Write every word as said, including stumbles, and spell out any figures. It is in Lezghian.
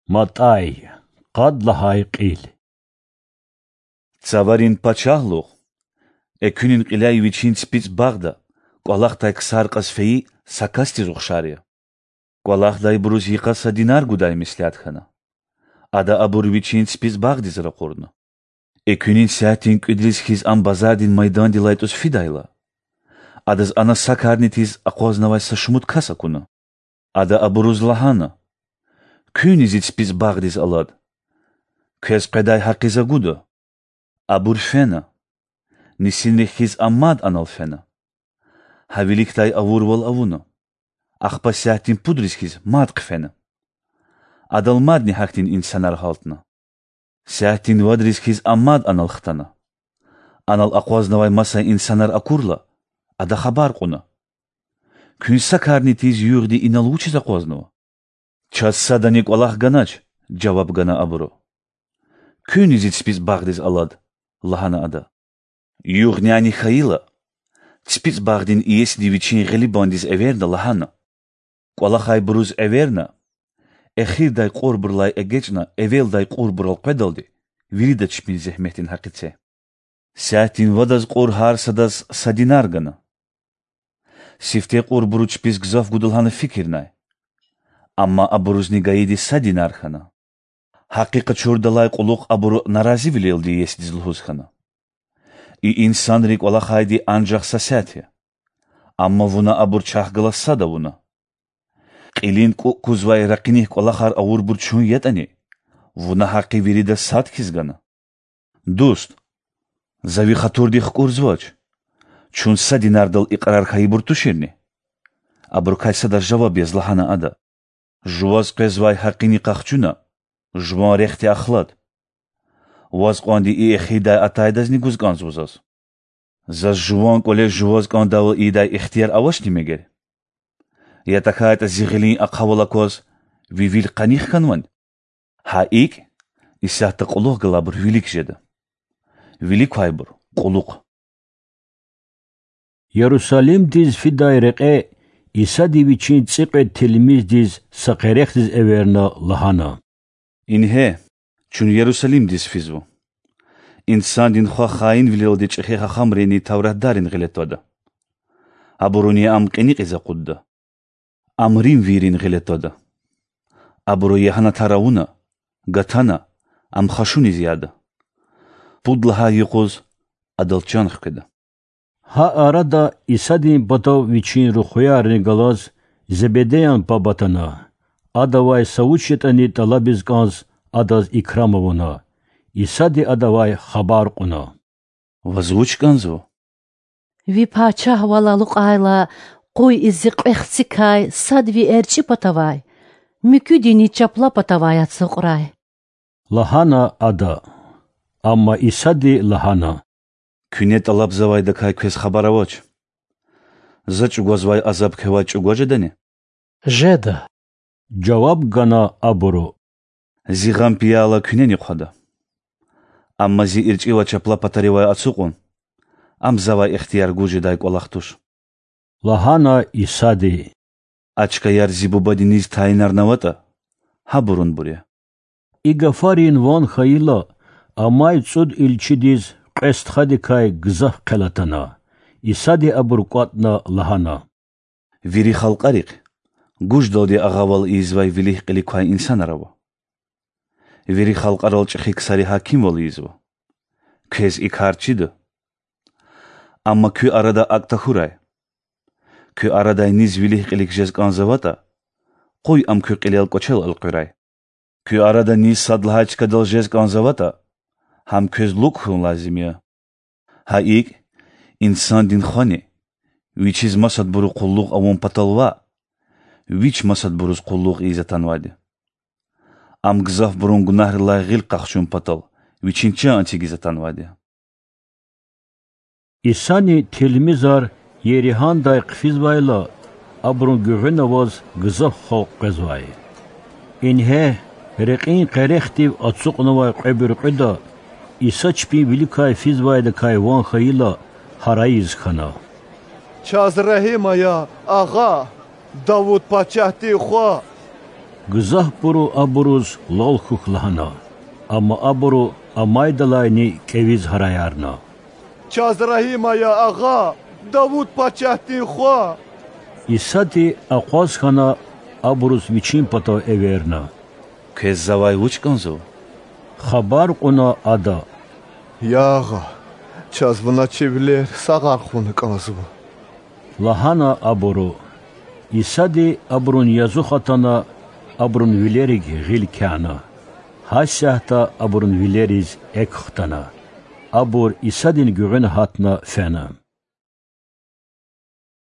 МатӀай. Къад лагьай кьил. Цаварин пачагьлугъ, экуьнин кьиляй вичин ципицӀ багъда кӀвалахдай ксар кьаз фейи са касдиз ухшар я. КӀвалахдайбуруз йикъа са динар гудай меслят хьана. Ада абур вичин ципицӀ багъдиз ракъурна. Экуьнин сятдин кӀуьдриз хьиз ам базардин майдандилай тӀуз фидайла, адаз ана са карни тийиз акъвазнавай са шумуд кас акуна. Ада абуруз лагьана: Куьнни зи ципицӀ багъдиз алад. Квез къведай гьакъи за гуда. Абур фена. Нисинрихъ хьиз ам мад анал фена. Гьа виликдай авурвал авуна. Ахпа сятдин пудриз хьиз мад хъфена. Адал мадни гьахьтин инсанар гьалтна. Сятдин вадриз хьиз ам мад анал хтана. Анал акъвазнавай маса инсанар акурла, ада хабар кьуна: Куьн са карни тийиз югъди инал вучиз акъвазнава? Чаз садани кӀвалах ганач,— жаваб гана абуру. Куьнни зи ципицӀ багъдиз алад,— лагьана ада. Югъняни хьайила, ципицӀ багъдин иесиди вичин гъилибандиз эверна лагьана: КӀвалахайбуруз эверна, эхирдай кьурбурулай эгечӀна эвелдай кьурбурал къведалди вирида чпин зегьметдин гьакъи це. Сятдин вадаз кьур гьар садаз са динар гана. Сифте кьурбуру чпиз гзаф гуда лагьана фикирнай. Амма абурузни гайиди са динар хьана. Гьакъи къачурдалай кьулухъ абуру наразивилелди иесидиз лугьуз хьана: И инсанри кӀвалахайди анжах са сят я. Амма вуна абур чахъ галаз сад авуна. Кьилин кӀукӀ кузвай ракъиник кӀвалахар авурбур чун ятӀани, вуна гьакъи вирида сад хьиз гана. Дуст, за ви хатурдик хкӀурзавач. Чун са динардал икьрар хьайибур туширни? Абурукай садаз жаваб яз лагьана ада: Жуваз къвезвай гьакъини къахчуна, жуван рехъди ахлад. Ваз кьванди и эхирдай атайдазни гуз кӀанзава заз. Заз жуван кӀвале жуваз кӀандайвал ийидай ихтияр авачни мегер? Я тахьайтӀа зи гъилин ахъавал акваз ви вил къаних хьанвани? Гьа икӀ, исятда кьулухъ галайбур вилик жеда. Вилик квайбур— кьулухъ. Ярусалимдиз фидай рекье Исади Вичин цӀикьвед тилмиздиз са къерехдиз эверна лагьана: Ингье, чун Ярусалимдиз физва. Инсандин Хва хаинвилелди чӀехи гьахъамринни тавратдаррин гъиле твада. Абуруни Ам кьиникьиз акъудда. Ам римвийрин гъиле твада. Абуру ягьанатар авуна, гатана, Ам хашуниз яда. Пуд лагьай юкъуз Адал чан хкведа. Гьа арада Исадин патав Вичин рухваярни галаз Зебедеян паб атана. Адавай са вуч ятӀани тӀалабиз кӀанз, Адаз икрам авуна. Исади адавай хабар кьуна: Ваз вуч кӀанзава? Ви пачагьвал алукьайла, къуй и зи кьве хцикай сад ви эрчӀи патавай, муькуьдини чапла патавай ацукьрай,— лагьана ада. Амма Исади лагьана: Куьне тӀалабзавайдакай квез хабар авач. За чӀугвазвай азаб квевай чӀугваз жедани? Жеда,— жаваб гана абуру. Зи гъам-пияла куьнени хъвада. Амма Зи эрчӀи ва чапла патаривай ацукьун— ам Завай ихтияр гуз жедай кӀвалах туш,— лагьана Исади. А чкаяр Зи Бубади низ тайинарнаватӀа, гьабурунбур я. И гафарин ван хьайила, амай цӀуд илчидиз кьве стхадикай гзаф хъел атана. Исади абур кӀватӀна лагьана: Вири халкьарихъ гуждалди агъавал ийизвай вилик-кьилик квай инсанар ава. Вири халкьарал чӀехи ксари гьакимвал ийизва. Квез и кар чида. Амма куь арада акӀ тахьурай: куь арадай низ вилик-кьилик жез кӀанзаватӀа, къуй ам куь кьилел кӀвачел элкъуьрай. Куь арада низ сад лагьай чкадал жез кӀанзаватӀа, гьам квез лукӀ хьун лазим я. Гьа икӀ, Инсандин Хвани Вичиз масадбуру къуллугъ авун патал ваъ, Вич масадбуруз къуллугъ ийиз атанвайди. Ам гзафбурун гунагьрилай гъил къахчун патал Вичин чан эцигиз атанвайди. Исани тилмизар Еригьандай хъфизвайла, абурун гуьгъуьна аваз гзаф халкь къвезвай. Ингье, рекьин къерехдив ацукьнавай кьве буьркьуьда Иса чпин виликай физвайдакай ван хьайила, гьарайиз хьана: Чаз регьим ая, Агъа, Давуд пачагьдин Хва! Гзафбуру абуруз лал хьухь лагьана, амма абуру амайдалайни кӀевиз гьараярна: Чаз регьим ая, агъа, Давуд пачагьдин хва! Исади акъваз хьана, абуруз Вичин патав эверна. Квез завай вуч кӀанзава? хабар кьуна Ада. Я Агъа, чаз Вуна чи вилер сагъар хъувуна кӀанзава,– лагьана абуру. Исади абурун язух атана, абурун вилерив гъил кяна. Гьасятда абурун вилериз экв хтана. Абур Исадин гуьгъуьна гьатна фена.